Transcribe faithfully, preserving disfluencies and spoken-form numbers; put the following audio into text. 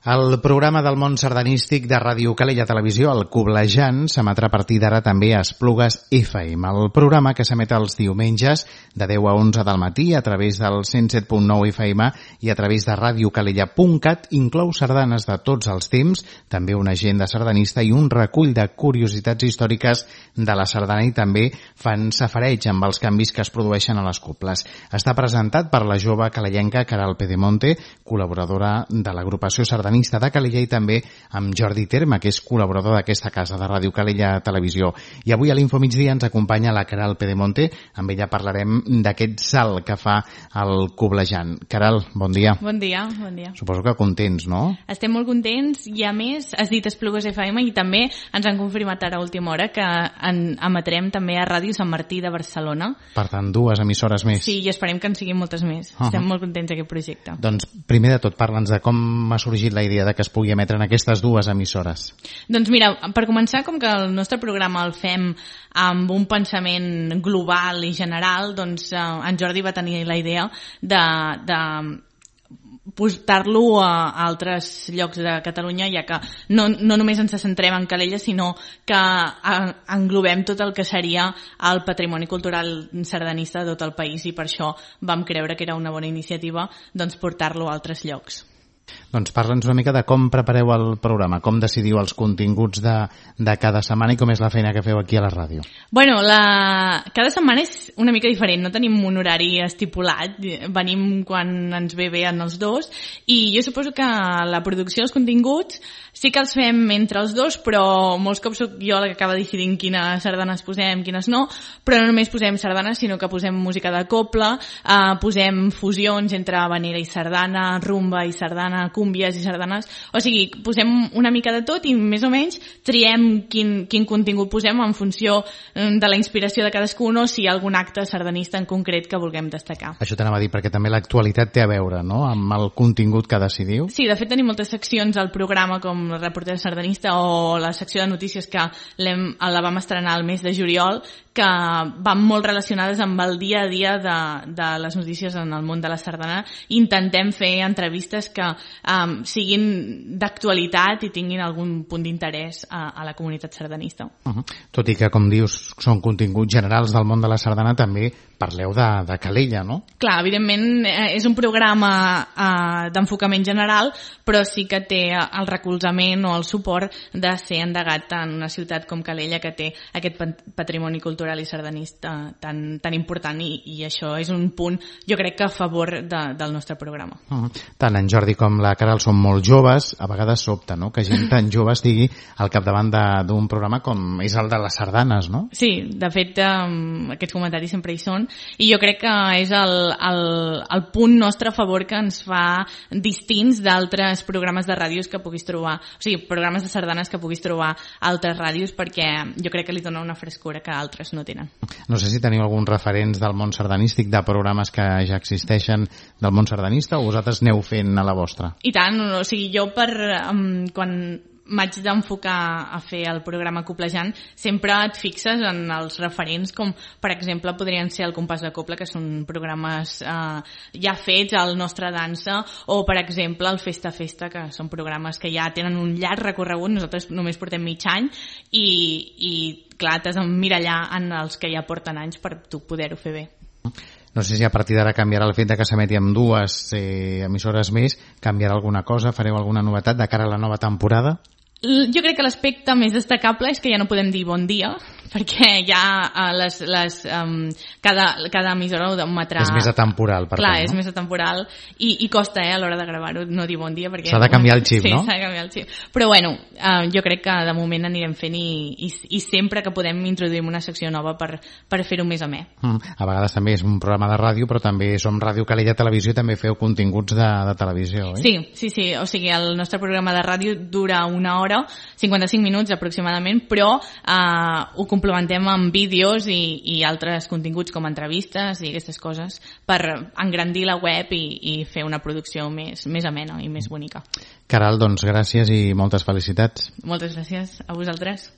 El programa del món sardanístic de Ràdio Calella Televisió, el Coblejant, s'emetrà a partir d'ara també a Esplugues F M. El programa, que s'emet els diumenges de deu a onze del matí a través del cent set punt nou F M i a través de radiocalella punt cat, inclou sardanes de tots els temps, també una agenda sardanista i un recull de curiositats històriques de la sardana, i també fan safareig amb els canvis que es produeixen a les cobles. Està presentat per la jove calellenca Caral Pedemonte, col·laboradora de l'agrupació sardanista de Calella, i també amb Jordi Terme, que és col·laborador d'aquesta casa de Ràdio Calella Televisió. I avui a l'Info Migdia ens acompanya la Caral Pedemonte. Amb ella parlarem d'aquest salt que fa el Coblejant. Caral, bon dia. Bon dia, bon dia. Suposo que contents, no? Estem molt contents, i a més has dit Esplugues F M, i també ens han confirmat ara a última hora que en emetrem també a Ràdio Sant Martí de Barcelona. Per tant, dues emissores més. Sí, i esperem que en siguin moltes més. Uh-huh. Estem molt contents d'aquest projecte. Doncs primer de tot, parla'ns de com ha sorgit la idea de que es pugui emetre en aquestes dues emissores. Doncs mira, per començar, com que el nostre programa el fem amb un pensament global i general, doncs eh, en Jordi va tenir la idea de, de portar-lo a altres llocs de Catalunya, ja que no, no només ens centrem en Calella, sinó que englobem tot el que seria el patrimoni cultural sardanista de tot el país, i per això vam creure que era una bona iniciativa doncs, portar-lo a altres llocs. Doncs parla'ns una mica de com prepareu el programa, com decidiu els continguts de, de cada setmana i com és la feina que feu aquí a la ràdio. Bueno, la... cada setmana és una mica diferent, no tenim un horari estipulat, venim quan ens ve bé en els dos, i jo suposo que la producció dels continguts sí que els fem entre els dos, però molts cops soc jo la que acaba decidint quines sardanes posem, quines no, però no només posem sardanes, sinó que posem música de cobla, eh, posem fusions entre habanera i sardana, rumba i sardana, cúmbies i sardanes, o sigui, posem una mica de tot i més o menys triem quin, quin contingut posem en funció de la inspiració de cadascun, o si hi ha algun acte sardanista en concret que vulguem destacar. Això t'anava a dir, perquè també l'actualitat té a veure, no?, amb el contingut que decidiu. Sí, de fet tenim moltes seccions al programa, com el reporter sardanista o la secció de notícies, que la vam estrenar el mes de juliol, que van molt relacionades amb el dia a dia de, de les notícies en el món de la sardana. Intentem fer entrevistes que um, siguin d'actualitat i tinguin algun punt d'interès a, a la comunitat sardanista. Uh-huh. Tot i que, com dius, són continguts generals del món de la sardana, també parleu de, de Calella, no? Clar, evidentment és un programa uh, d'enfocament general, però sí que té el recolzament o el suport de ser endegat en una ciutat com Calella, que té aquest patrimoni cultural i sardanista tan, tan important, i, i això és un punt, jo crec que a favor de, del nostre programa. Uh-huh. Tant en Jordi com la Caral són molt joves, a vegades sobta, no?, que gent tan jove estigui al capdavant d'un programa com és el de les sardanes, no? Sí, de fet, um, aquests comentaris sempre hi són, i jo crec que és el, el, el punt nostre a favor que ens fa distints d'altres programes de ràdios que puguis trobar, o sigui, programes de sardanes que puguis trobar a altres ràdios, perquè jo crec que li dona una frescura que altres no tenen. No sé si teniu alguns referents del món sardanístic, de programes que ja existeixen del món sardanista, o vosaltres aneu fent a la vostra? I tant, o sigui, jo per um, quan m'haig d'enfocar a fer el programa Coblejant, sempre et fixes en els referents, com per exemple podrien ser el Compàs de Cobla, que són programes eh, ja fets, el Nostra Dansa, o per exemple el Festa Festa, que són programes que ja tenen un llarg recorregut. Nosaltres només portem mig any, i, i clar, t'has d'emmirallar en els que ja porten anys per tu poder-ho fer bé. No sé si a partir d'ara canviarà el fet de que s'emeti amb dues eh, emissores més, canviarà alguna cosa, fareu alguna novetat de cara a la nova temporada? Jo crec que l'aspecte més destacable és que ja no podem dir bon dia, perquè ja uh, les, les, um, cada, cada emissora ho emetrà... És més atemporal, per Clar, tant, no? és més atemporal, i, i costa eh, a l'hora de gravar-ho no dir bon dia, perquè... S'ha de canviar el xip, sí, no? Sí, s'ha de canviar el xip. Però bueno, uh, jo crec que de moment anirem fent, i, i, i sempre que podem introduïm una secció nova per, per fer-ho més amè. Mm. A vegades també és un programa de ràdio, però també som Ràdio Calella Televisió i també feu continguts de, de televisió, oi? Sí, sí, sí, o sigui, el nostre programa de ràdio dura una hora, cinquanta-cinc minuts aproximadament, però eh, ho complementem amb vídeos i, i altres continguts com entrevistes i aquestes coses per engrandir la web i, i fer una producció més, més amena i més bonica. Caral, doncs gràcies i moltes felicitats. Moltes gràcies a vosaltres.